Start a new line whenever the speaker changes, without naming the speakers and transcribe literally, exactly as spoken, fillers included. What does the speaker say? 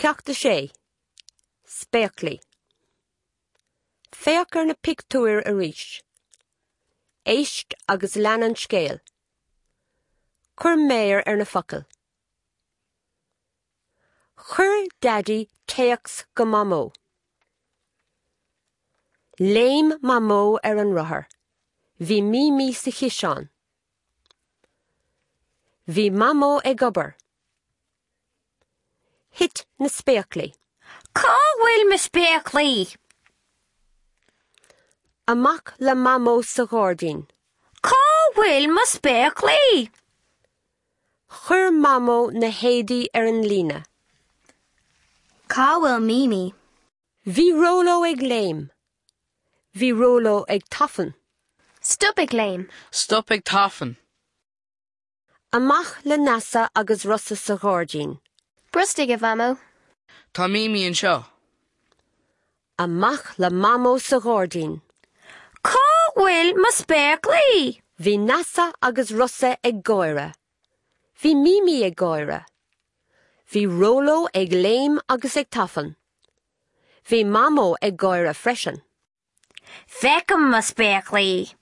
Ceacht a sé. Spéaclaí. Féach ar na pictiúir arís. Éist agus lean an scéal. Cuir méar ar na focail. Chuir Daidí téacs go Mamó. Léim Mamó ar an rothar. Bhí Mímí sa chiseán. Bhí Mamó ag obair. Thit na spéaclaí.
Cá bhfuil mo spéaclaí?
Amach le Mamó sa ghairdín.
Cá bhfuil mo spéaclaí?
Chuir Mamó na héadaí ar an líne.
Cá bhfuil Mímí?
Bhí Róló ag léim. Bhí Róló ag tafann.
Stop ag léim.
Stop ag tafann.
Amach le Neasa agus Rossa sa ghairdín.
Brostaigh a Mhamó.
Tá Mímí anseo.
Amach le Mamó sa ghairdín.
Cá bhfuil mo spéaclaí?
Bhí Neasa agus Rossa ag gáire. Bhí Mímí ag gáire. Bhí Róló ag léim agus ag tafann. Bhí Mamó ag gáire freisin.
Feicim mo spéaclaí.